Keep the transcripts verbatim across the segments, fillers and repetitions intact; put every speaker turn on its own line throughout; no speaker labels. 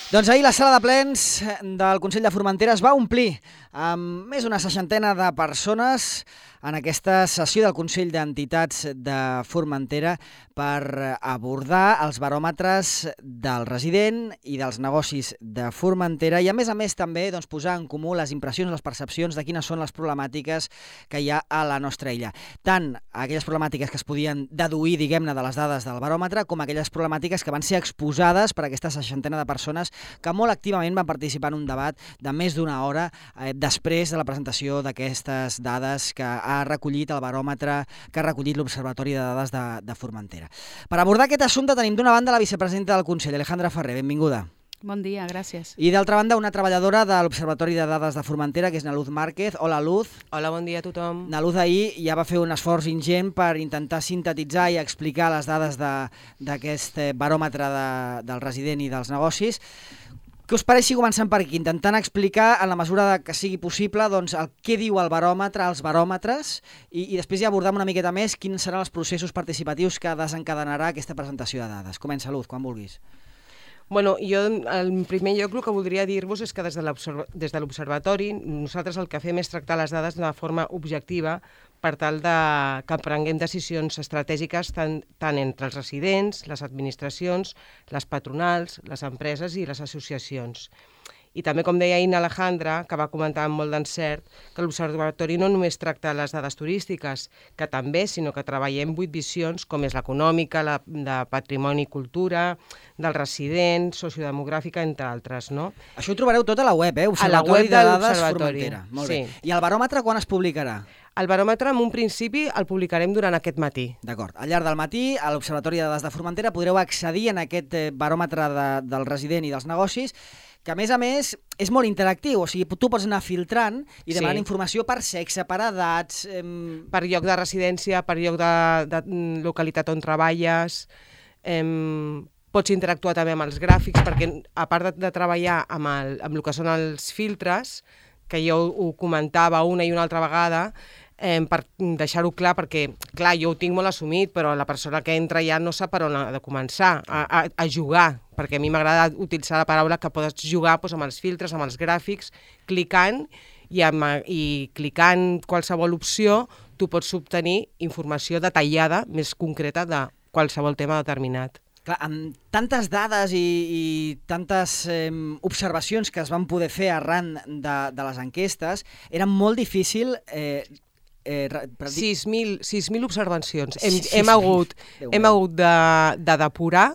Doncs ahir la sala de plens del Consell de Formentera es va omplir amb més d'una seixantena de persones en aquesta sessió del Consell d'Entitats de Formentera per abordar els baròmetres del resident i dels negocis de Formentera i, a més a més, també doncs, posar en comú les impressions, les percepcions de quines són les problemàtiques que hi ha a la nostra illa. Tant aquelles problemàtiques que es podien deduir, diguem-ne, de les dades del baròmetre, com aquelles problemàtiques que van ser exposades per aquesta seixantena de persones que molt activament van participar en un debat de més d'una hora eh, després de la presentació d'aquestes dades que ha recollit el baròmetre, que ha recollit l'Observatori de Dades de, de Formentera. Per abordar aquest assumpte tenim d'una banda la vicepresidenta del Consell, Alejandra Ferrer, benvinguda.
Bon dia, gràcies.
I d'altra banda una treballadora de l'Observatori de Dades de Formentera, que és Naluz Márquez. Hola, Luz.
Hola, bon dia a tothom.
Naluz ahir ja va fer un esforç ingent per intentar sintetitzar i explicar les dades d'aquest baròmetre de, del resident i dels negocis. Què us pareix si comencem per aquí, intentant explicar, en la mesura que sigui possible, doncs, el què diu el baròmetre, els baròmetres, i, i després ja abordem una miqueta més quins seran els processos participatius que desencadenarà aquesta presentació de dades. Comença, Luz, quan vulguis.
Bueno, jo, en primer lloc, el que voldria dir-vos és que des de l'Observatori nosaltres el que fem és tractar les dades de forma objectiva per tal de que prenguem decisions estratègiques tant, tant entre els residents, les administracions, les patronals, les empreses i les associacions. I també, com deia ahir Alejandra, que va comentar amb molt d'encert, que l'Observatori no només tracta les dades turístiques, que també, sinó que treballem vuit visions, com és l'econòmica, la de patrimoni i cultura, del resident, sociodemogràfica, entre altres, no?
Això ho trobareu tot a la web, eh?
A la web de l'Observatori.
Molt bé. I el baròmetre quan es publicarà?
El baròmetre, en un principi, el publicarem durant aquest matí.
D'acord. Al llarg del matí, a l'Observatori de Dades de Formentera, podreu accedir en aquest baròmetre de, del resident i dels negocis, que a més a més és molt interactiu, o sigui, tu pots anar filtrant i demanant sí. informació per sexe, per edats... Em...
Per lloc de residència, per lloc de, de localitat on treballes... Em... Pots interactuar també amb els gràfics, perquè a part de, de treballar amb, el, amb el que són els filtres, que jo ho comentava una i una altra vegada, eh, per deixar-ho clar, perquè, clar, jo ho tinc molt assumit, però la persona que entra ja no sap per on ha de començar a, a, a jugar, perquè a mi m'agrada utilitzar la paraula que pots jugar doncs, amb els filtres, amb els gràfics, clicant, i, amb, i clicant qualsevol opció tu pots obtenir informació detallada, més concreta, de qualsevol tema determinat.
Clar, amb tantes dades i, i tantes eh, observacions que es van poder fer arran de, de les enquestes, era molt difícil... Eh, eh,
sis mil observacions. Hem, hem hagut, hem hagut de, de depurar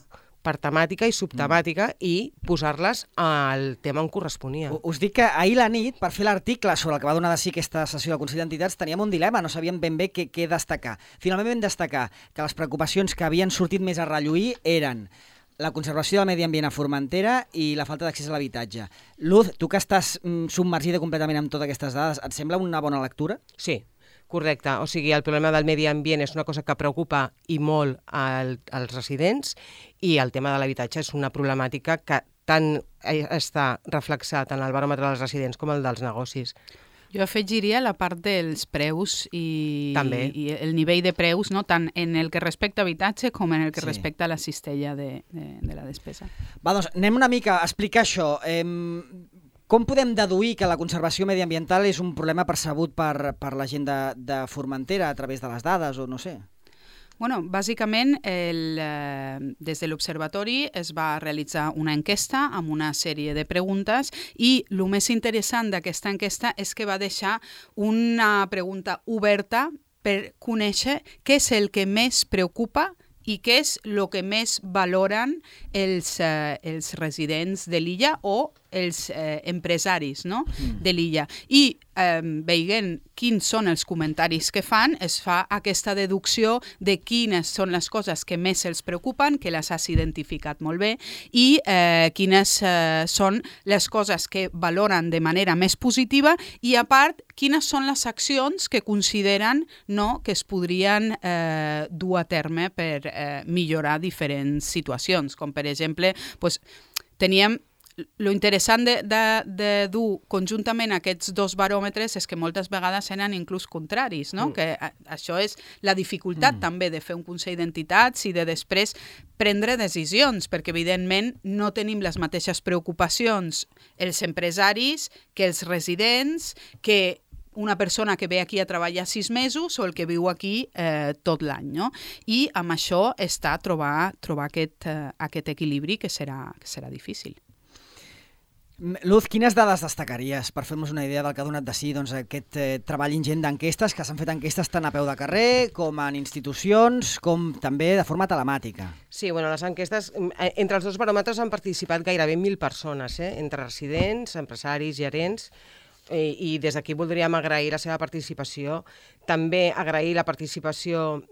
per temàtica i subtemàtica mm. i posar-les al tema on corresponia.
Us dic que ahir la nit, per fer l'article sobre el que va donar de si aquesta sessió del Consell d'Entitats, teníem un dilema, no sabíem ben bé què, què destacar. Finalment vam destacar que les preocupacions que havien sortit més a relluir eren la conservació del medi ambient a Formentera i la falta d'accés a l'habitatge. Luz, tu que estàs mm, submergida completament amb totes aquestes dades, et sembla una bona lectura?
Sí. Correcte, o sigui, el problema del medi ambient és una cosa que preocupa i molt al, als residents i el tema de l'habitatge és una problemàtica que tant està reflexat en el baròmetre dels residents com el dels negocis.
Jo afegiria la part dels preus i,
També.
i el nivell de preus, no? Tant en el que respecta a habitatge com en el que
sí.
respecta a la cistella de, de, de la despesa.
Va, doncs anem una mica a explicar això. Eh, Com podem deduir que la conservació mediambiental és un problema percebut per, per la gent de, de Formentera a través de les dades o no sé?
Bueno, bàsicament, el, eh, des de l'Observatori es va realitzar una enquesta amb una sèrie de preguntes i el més interessant d'aquesta enquesta és que va deixar una pregunta oberta per conèixer què és el que més preocupa i què és el que més valoren els, eh, els residents de l'illa o els eh, empresaris, no? mm. de l'illa. I eh, veient quins són els comentaris que fan, es fa aquesta deducció de quines són les coses que més els preocupen, que les has identificat molt bé, i eh, quines eh, són les coses que valoren de manera més positiva i, a part, quines són les accions que consideren no, que es podrien eh, dur a terme per eh, millorar diferents situacions, com per exemple, pues, teníem lo interessant de, de, de dur conjuntament aquests dos baròmetres és que moltes vegades eren inclús contraris, no? Mm. Que a, això és la dificultat mm. també de fer un Consell d'Entitats i de després prendre decisions, perquè evidentment no tenim les mateixes preocupacions els empresaris que els residents, que una persona que ve aquí a treballar sis mesos o el que viu aquí eh, tot l'any, no? I amb això està trobar, trobar aquest, eh, aquest equilibri que serà, que serà difícil.
Luz, quines dades destacaries per fer-nos una idea del que ha donat de si doncs, aquest eh, treball ingent d'enquestes, que s'han fet enquestes tant a peu de carrer com en institucions, com també de forma telemàtica?
Sí, bueno, les enquestes, entre els dos baròmetres han participat gairebé mil persones, eh? Entre residents, empresaris, gerents, i des d'aquí voldríem agrair la seva participació, també agrair la participació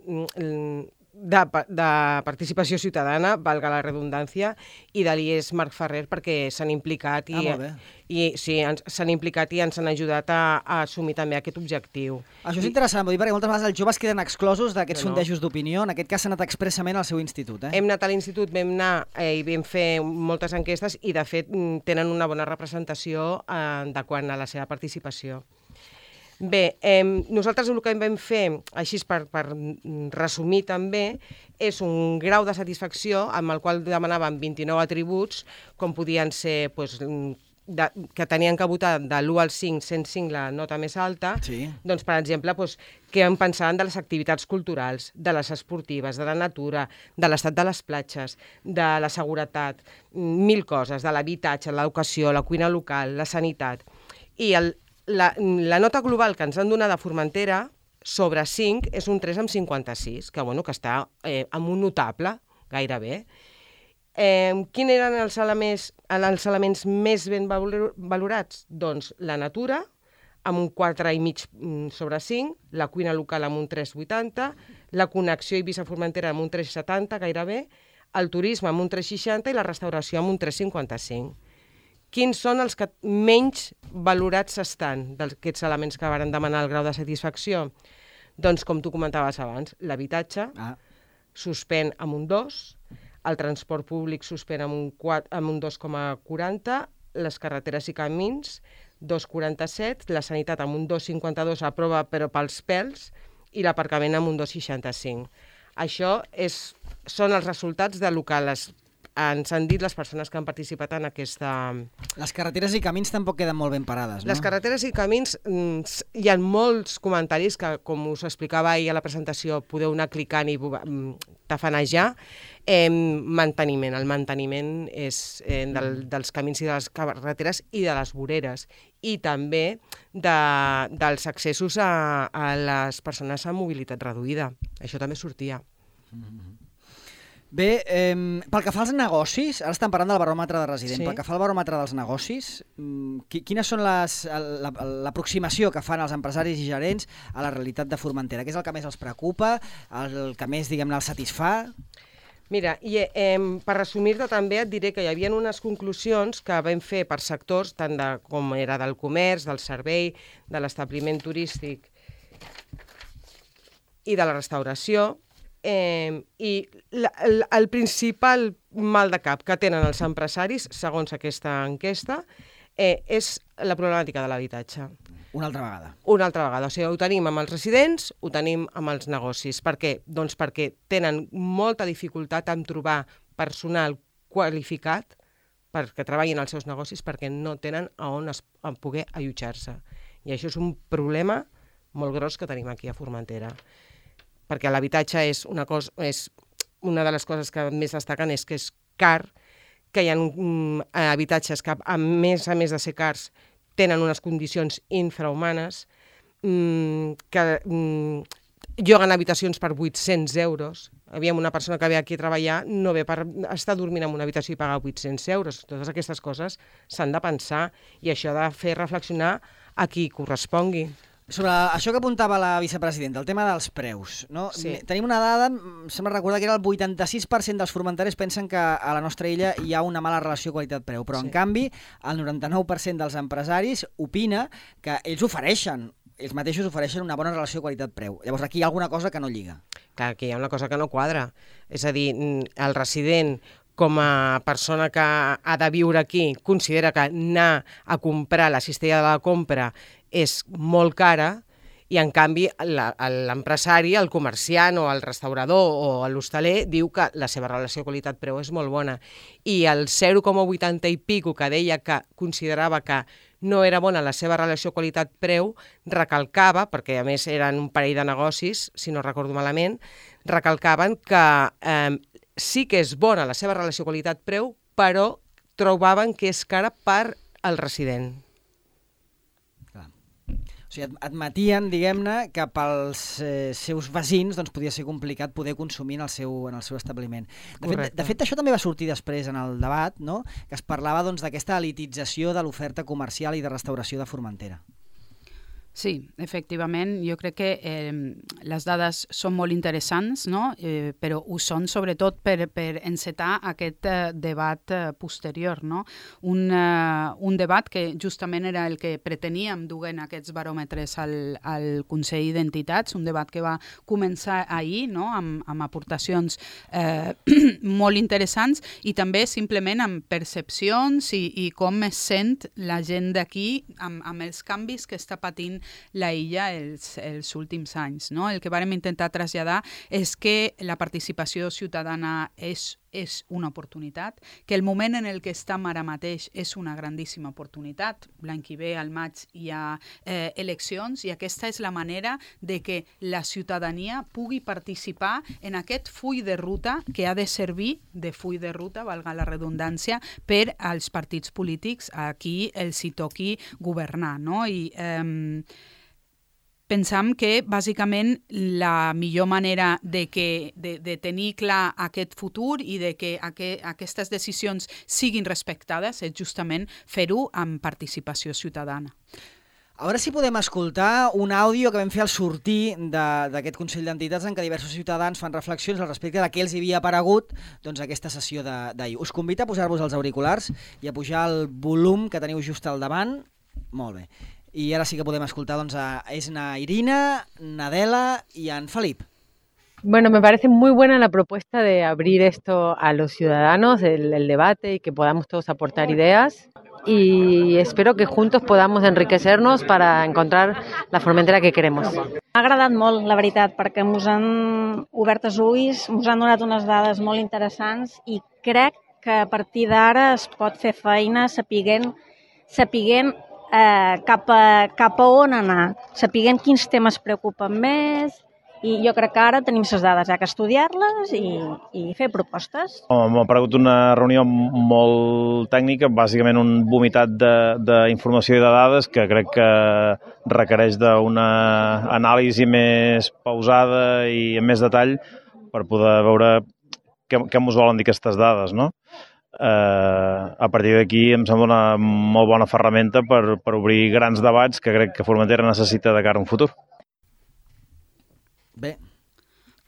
de, de participació ciutadana, valga la redundància, i de l'I E S Marc Ferrer perquè s'han implicat i,
ah,
i sí, s'han implicat i ens han ajudat a, a assumir també aquest objectiu.
Això és I, interessant, vull dir, perquè moltes vegades els joves queden exclosos d'aquests
no, no.
sondejos d'opinió. En aquest cas s'ha anat expressament al seu institut. Eh?
Hem anat a l'institut, vam anar eh, i vam fer moltes enquestes i de fet tenen una bona representació eh, de quant a la seva participació. Bé, eh, nosaltres el que vam fer, així per, per resumir també, és un grau de satisfacció amb el qual demanàvem vint-i-nou atributs, com podien ser, doncs, de, que tenien que votar de l'u al cinc, sent cinc la nota més alta,
sí.
Doncs, per exemple, doncs, què en pensaven de les activitats culturals, de les esportives, de la natura, de l'estat de les platges, de la seguretat, mil coses, de l'habitatge, l'educació, la cuina local, la sanitat. I el La, la nota global que ens han donat a Formentera sobre cinc és un tres coma cinquanta-sis, que, bueno, que està eh, amb un notable, gairebé. Eh, quins eren els elements, els elements més ben valorats? Doncs la natura, amb un quatre coma cinc sobre cinc, la cuina local amb un tres coma vuitanta, la connexió Eivissa-Formentera amb un tres coma setanta, gairebé, el turisme amb un tres coma seixanta i la restauració amb un tres coma cinquanta-cinc. Quins són els que menys valorats estan d'aquests elements que varen demanar el grau de satisfacció? Doncs, com tu comentaves abans, l'habitatge ah. suspèn amb un dos, el transport públic suspèn amb un, quatre, amb un dos coma quaranta, les carreteres i camins, dos coma quaranta-set, la sanitat amb un dos coma cinquanta-dos, aprova però pels pèls, i l'aparcament amb un dos coma seixanta-cinc. Això és, són els resultats del que les ens han dit les persones que han participat en aquesta...
Les carreteres i camins tampoc queden molt ben parades, no?
Les carreteres i camins, hi ha molts comentaris que, com us explicava ahir a la presentació, podeu anar clicant i tafanejar. Eh, manteniment. El manteniment és eh, del, dels camins i de les carreteres i de les voreres. I també de, dels accessos a, a les persones amb mobilitat reduïda. Això també sortia.
Mm-hmm. Bé, eh, pel que fa als negocis, ara estem parlant del baròmetre de resident, sí. Pel que fa al baròmetre dels negocis, quines són les, l'aproximació que fan els empresaris i gerents a la realitat de Formentera? Què és el que més els preocupa, el que més, diguem-ne, els satisfà?
Mira, i, eh, per resumir-te també et diré que hi havia unes conclusions que vam fer per sectors, tant de, com era del comerç, del servei, de l'establiment turístic i de la restauració, Eh, i la, el, el principal mal de cap que tenen els empresaris, segons aquesta enquesta, eh, és la problemàtica de l'habitatge.
Una altra vegada.
Una altra vegada. O sigui, ho tenim amb els residents, ho tenim amb els negocis. Per què? Doncs perquè tenen molta dificultat en trobar personal qualificat perquè treballin als seus negocis, perquè no tenen a on es, a poder allotjar-se. I això és un problema molt gros que tenim aquí a Formentera. Perquè l'habitatge és una cosa, és una de les coses que més destaquen és que és car, que hi ha um, habitatges que, a més a més de ser cars, tenen unes condicions infrahumanes, um, que um, lloguen habitacions per vuit-cents euros. Havíem una persona que ve aquí a treballar, no ve per estar dormint en una habitació i pagar vuit-cents euros. Totes aquestes coses s'han de pensar i això ha de fer reflexionar a qui correspongui.
Sobre això que apuntava la vicepresidenta, el tema dels preus, no? Sí. Tenim una dada, em sembla recordar que era el vuitanta-sis per cent dels formenteres pensen que a la nostra illa hi ha una mala relació qualitat-preu, però sí. En canvi el noranta-nou per cent dels empresaris opina que ells ofereixen, ells mateixos ofereixen una bona relació qualitat-preu. Llavors aquí hi ha alguna cosa que no lliga.
Clar, que hi ha una cosa que no quadra. És a dir, el resident com a persona que ha de viure aquí, considera que anar a comprar la cistella de la compra és molt cara, i en canvi l'empresari, el comerciant o el restaurador o l'hostaler diu que la seva relació qualitat-preu és molt bona. I el zero coma vuitanta i pico que deia que considerava que no era bona la seva relació qualitat-preu, recalcava, perquè a més eren un parell de negocis, si no recordo malament, recalcaven que eh, sí que és bona la seva relació qualitat-preu, però trobaven que és cara per al resident.
O sigui, admetien, diguem-ne, que pels eh, seus veïns doncs, podia ser complicat poder consumir en el seu, en el seu establiment. De fet, de fet, això també va sortir després en el debat, no? Que es parlava doncs, d'aquesta elitització de l'oferta comercial i de restauració de Formentera.
Sí, efectivament, jo crec que eh, les dades són molt interessants, no? eh, però ho són sobretot per, per encetar aquest eh, debat eh, posterior, no? Un, eh, un debat que justament era el que preteníem duent aquests baròmetres al, al Consell d'Entitats, un debat que va començar ahir, no? amb, amb aportacions eh, molt interessants i també simplement amb percepcions i, i com es sent la gent d'aquí amb, amb els canvis que està patint la illa els, els últims anys. No? El que vàrem intentar traslladar és que la participació ciutadana és és una oportunitat, que el moment en el que estem ara mateix és una grandíssima oportunitat. L'any que ve, al maig, hi ha eh, eleccions i aquesta és la manera de que la ciutadania pugui participar en aquest full de ruta que ha de servir de full de ruta, valga la redundància, per als partits polítics a qui els hi toqui governar. No? I eh, pensam que, bàsicament, la millor manera de, que, de, de tenir clar aquest futur i de que aqu aquestes decisions siguin respectades és justament fer-ho amb participació ciutadana.
A veure si podem escoltar un àudio que vam fer al sortir d'aquest Consell d'Entitats en què diversos ciutadans fan reflexions al respecte de què els havia aparegut doncs, aquesta sessió d'ahir. Us convido a posar-vos els auriculars i a pujar el volum que teniu just al davant. Molt bé. I ara sí que podem escoltar doncs, a Esna Irina, Nadela y a Felip.
Bueno, me parece muy buena la propuesta de abrir esto a los ciudadanos, el, el debate y que podamos todos aportar ideas y espero que juntos podamos enriquecernos para encontrar la Formentera que queremos.
M'ha agradat molt, la veritat, perquè ens han obert els ulls, ens han donat unes dades molt interessants i crec que a partir d'ara es pot fer feina sapiguent, sapiguent Eh, cap, a, cap a on anar, sapiguem quins temes preocupen més i jo crec que ara tenim les dades, hi ha que estudiar-les i, i fer propostes.
M'ha paregut una reunió molt tècnica, bàsicament un vomitat d'informació i de dades que crec que requereix d'una anàlisi més pausada i amb més detall per poder veure què, què ens volen dir aquestes dades, no? Uh, a partir d'aquí em sembla una molt bona ferramenta per, per obrir grans debats que crec que Formentera necessita de cara a un futur.
Bé.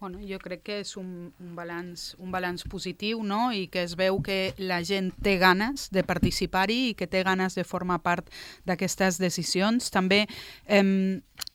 Bueno, jo crec que és un, un, balanç, un balanç positiu, no? I que es veu que la gent té ganes de participar-hi i que té ganes de formar part d'aquestes decisions. També eh,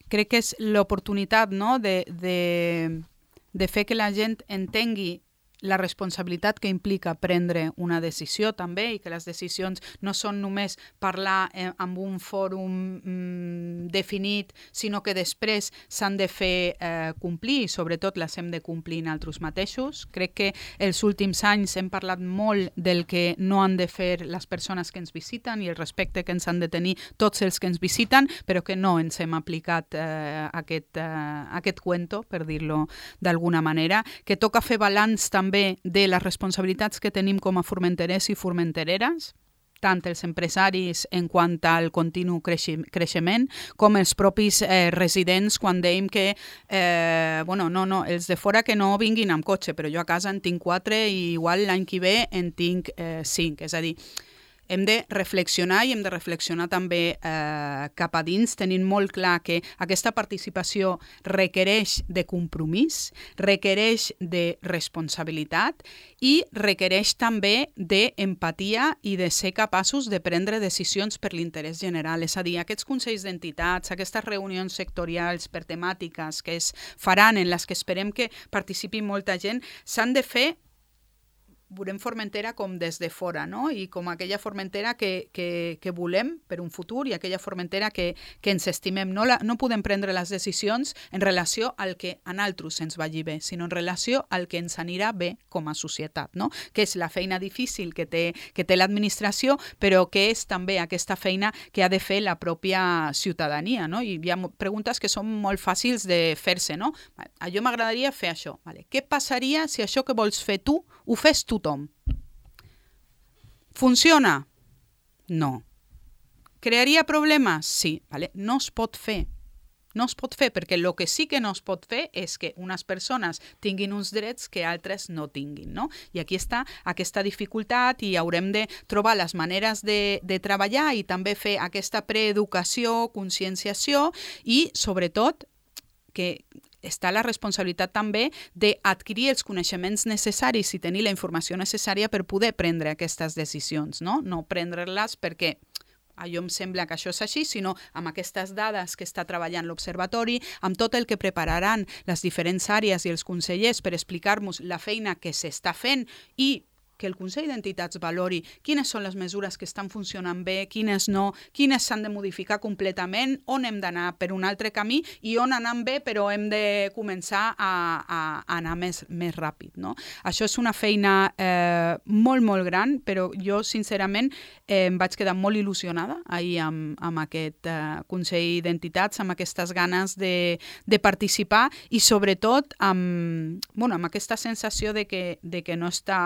crec que és l'oportunitat, no? de, de, de fer que la gent entengui la responsabilitat que implica prendre una decisió també i que les decisions no són només parlar eh, amb un fòrum mm, definit, sinó que després s'han de fer eh, complir i sobretot les hem de complir nosaltres mateixos. Crec que els últims anys hem parlat molt del que no han de fer les persones que ens visiten i el respecte que ens han de tenir tots els que ens visiten, però que no ens hem aplicat eh, aquest, eh, aquest cuento, per dir-lo d'alguna manera, que toca fer balanç també també de les responsabilitats que tenim com a formenterers i formentereres, tant els empresaris en quant al continu creixement, com els propis eh, residents quan dèiem que, eh, bueno, no, no, els de fora que no vinguin amb cotxe, però jo a casa en tinc quatre i igual l'any que ve en tinc eh, cinc, és a dir, hem de reflexionar i hem de reflexionar també eh, cap a dins, tenint molt clar que aquesta participació requereix de compromís, requereix de responsabilitat i requereix també d'empatia i de ser capaços de prendre decisions per l'interès general. És a dir, aquests consells d'entitats, aquestes reunions sectorials per temàtiques que es faran, en les que esperem que participi molta gent, s'han de fer veurem Formentera com des de fora, no? I com aquella Formentera que, que, que volem per un futur i aquella Formentera que, que ens estimem. No, la, no podem prendre les decisions en relació al que a nosaltres ens vagi bé, sinó en relació al que ens anirà bé com a societat, no? Que és la feina difícil que té, que té l'administració, però que és també aquesta feina que ha de fer la pròpia ciutadania, no? I hi ha preguntes que són molt fàcils de fer-se, no? A jo m'agradaria fer això. Vale. Què passaria si això que vols fer tu ho fes tothom? Funciona? No. Crearia problemes? Sí. Vale. No es pot fer. No es pot fer, perquè el que sí que no es pot fer és que unes persones tinguin uns drets que altres no tinguin, no? I aquí està aquesta dificultat i haurem de trobar les maneres de, de treballar i també fer aquesta preeducació, conscienciació i, sobretot, que està la responsabilitat també d'adquirir els coneixements necessaris i tenir la informació necessària per poder prendre aquestes decisions, no? No prendre-les perquè allò em sembla que això és així, sinó amb aquestes dades que està treballant l'Observatori, amb tot el que prepararan les diferents àrees i els consellers per explicar-nos la feina que s'està fent i que el Consell d'Entitats valori quines són les mesures que estan funcionant bé, quines no, quines s'han de modificar completament, on hem d'anar per un altre camí i on anem bé però hem de començar a, a, a anar més, més ràpid, no? Això és una feina eh, molt, molt gran, però jo, sincerament, eh, em vaig quedar molt il·lusionada ahir amb, amb aquest eh, Consell d'Entitats, amb aquestes ganes de, de participar i, sobretot, amb, bueno, amb aquesta sensació de que, de que no està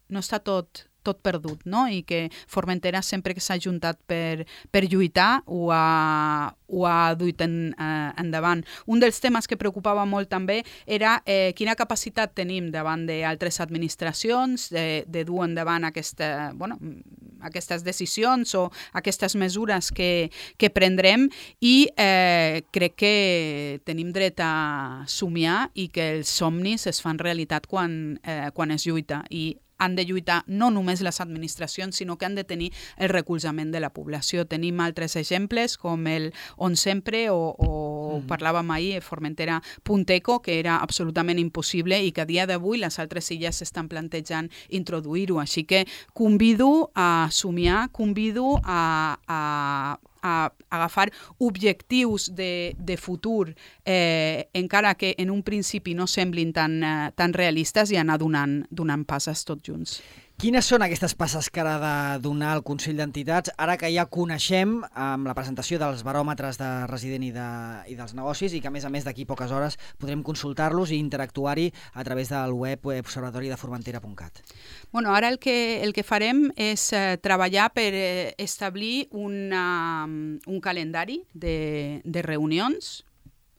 no està tot, tot perdut, no? I que Formentera sempre que s'ha juntat per, per lluitar ho ha, ho ha duit en, eh, endavant. Un dels temes que preocupava molt també era eh, quina capacitat tenim davant d'altres administracions de, de dur endavant aquesta, bueno, aquestes decisions o aquestes mesures que, que prendrem i eh, crec que tenim dret a somiar i que els somnis es fan realitat quan, eh, quan es lluita i han de lluitar no només les administracions, sinó que han de tenir el recolzament de la població. Tenim altres exemples, com el On Sempre, o, o mm. parlàvem ahir, Formentera Punteco, que era absolutament impossible i que a dia d'avui les altres illes s'estan plantejant introduir-ho. Així que convido a somiar, convido a, a a agafar objectius de, de futur, eh, encara que en un principi no semblin tan, eh, tan realistes i anar donant, donant passes tots junts.
Quines són aquestes passes que ha de donar el Consell d'Entitats, ara que ja coneixem amb la presentació dels baròmetres de resident i, de, i dels negocis i que, a més a més, d'aquí poques hores podrem consultar-los i interactuar-hi a través del web observatori de formentera punt cat?
Bueno, ara el que, el que farem és eh, treballar per eh, establir una, un calendari de, de reunions.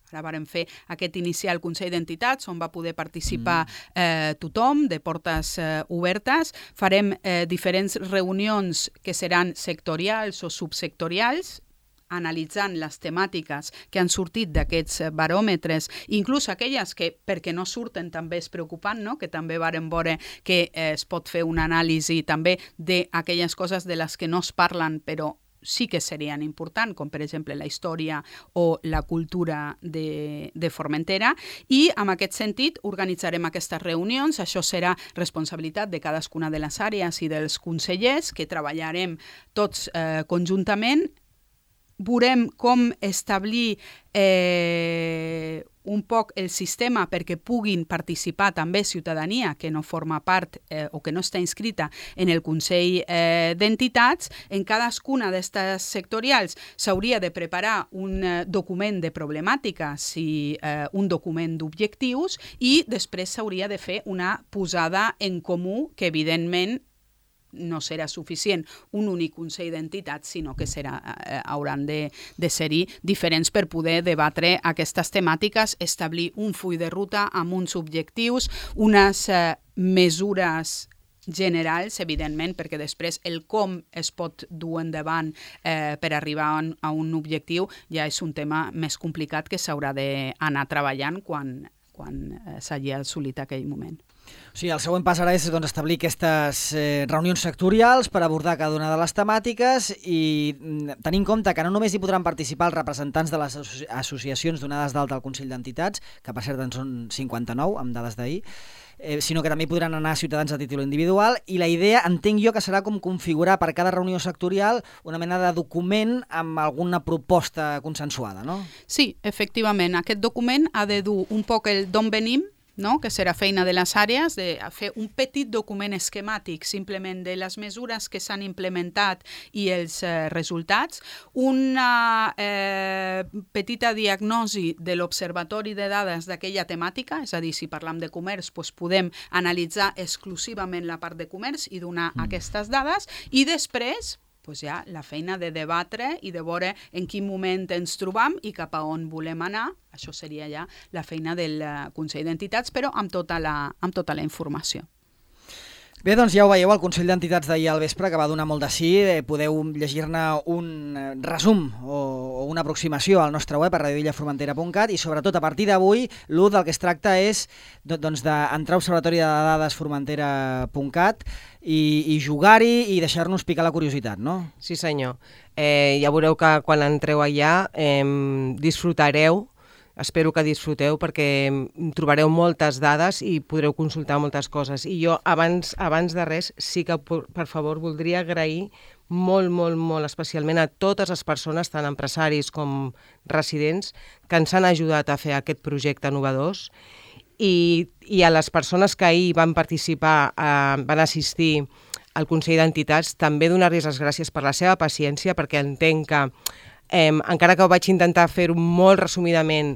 Ara vàrem fer aquest inicial Consell d'Entitats on va poder participar eh, tothom, de portes eh, obertes. Farem eh, diferents reunions que seran sectorials o subsectorials, analitzant les temàtiques que han sortit d'aquests baròmetres, inclús aquelles que, perquè no surten, també és preocupant, no? Que també vàrem veure que eh, es pot fer una anàlisi també d'aquelles coses de les que no es parlen, però sí que serien importants, com per exemple la història o la cultura de, de Formentera, i en aquest sentit organitzarem aquestes reunions. Això serà responsabilitat de cadascuna de les àrees i dels consellers, que treballarem tots eh, conjuntament. Veurem com establir eh, un poc el sistema perquè puguin participar també ciutadania que no forma part eh, o que no està inscrita en el Consell eh, d'Entitats. En cadascuna d'aquestes sectorials s'hauria de preparar un eh, document de problemàtiques i eh, un document d'objectius i després s'hauria de fer una posada en comú que, evidentment, no serà suficient un únic Consell d'Entitats, sinó que serà, eh, hauran de, de ser-hi diferents per poder debatre aquestes temàtiques, establir un full de ruta amb uns objectius, unes eh, mesures generals, evidentment, perquè després el com es pot dur endavant eh, per arribar a un, a un objectiu ja és un tema més complicat que s'haurà d'anar treballant quan, quan eh, s'hagi assolit aquell moment.
O sigui, el següent pas ara és doncs, establir aquestes eh, reunions sectorials per abordar cada una de les temàtiques i tenir en compte que no només hi podran participar els representants de les asso associacions donades d'alta al Consell d'Entitats, que per cert en són cinquanta-nou amb dades d'ahir, eh, sinó que també hi podran anar ciutadans a títol individual, i la idea, entenc jo, que serà com configurar per cada reunió sectorial una mena de document amb alguna proposta consensuada, no?
Sí, efectivament. Aquest document ha de dur un poc el d'on venim, no? Que serà feina de les àrees, de fer un petit document esquemàtic simplement de les mesures que s'han implementat i els eh, resultats, una eh, petita diagnosi de l'observatori de dades d'aquella temàtica, és a dir, si parlam de comerç, doncs podem analitzar exclusivament la part de comerç i donar mm. aquestes dades, i després pues ja la feina de debatre i de veure en quin moment ens trobam i cap a on volem anar. Això seria ja la feina del Consell d'Entitats, però amb tota la, amb tota la informació.
Bé, doncs ja ho veieu, el Consell d'Entitats d'ahir al vespre, que va donar molt de sí. Eh, podeu llegir-ne un resum o, o una aproximació al nostre web a radio illa formentera punt cat, i sobretot a partir d'avui l'U del que es tracta és doncs, d'entrar a observatori de dades formentera punt cat i, i jugar-hi i deixar-nos picar la curiositat, no?
Sí, senyor. Eh, ja veureu que quan entreu allà eh, disfrutareu. Espero que disfruteu perquè trobareu moltes dades i podreu consultar moltes coses. I jo, abans, abans de res, sí que, per favor, voldria agrair molt, molt, molt especialment a totes les persones, tant empresaris com residents, que ens han ajudat a fer aquest projecte innovadors, i, i a les persones que ahir van participar, eh, van assistir al Consell d'Entitats, també donar-los les gràcies per la seva paciència, perquè entenc que Eh, encara que ho vaig intentar fer-ho molt resumidament,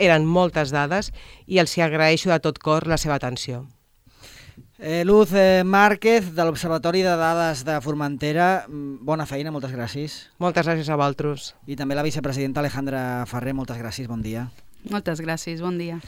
eren moltes dades, i els hi agraeixo de tot cor la seva atenció.
Eh, Luz eh, Márquez, de l'Observatori de Dades de Formentera, bona feina, moltes gràcies.
Moltes gràcies a vosaltres.
I també la vicepresidenta Alejandra Ferrer, moltes gràcies, bon dia.
Moltes gràcies, bon dia.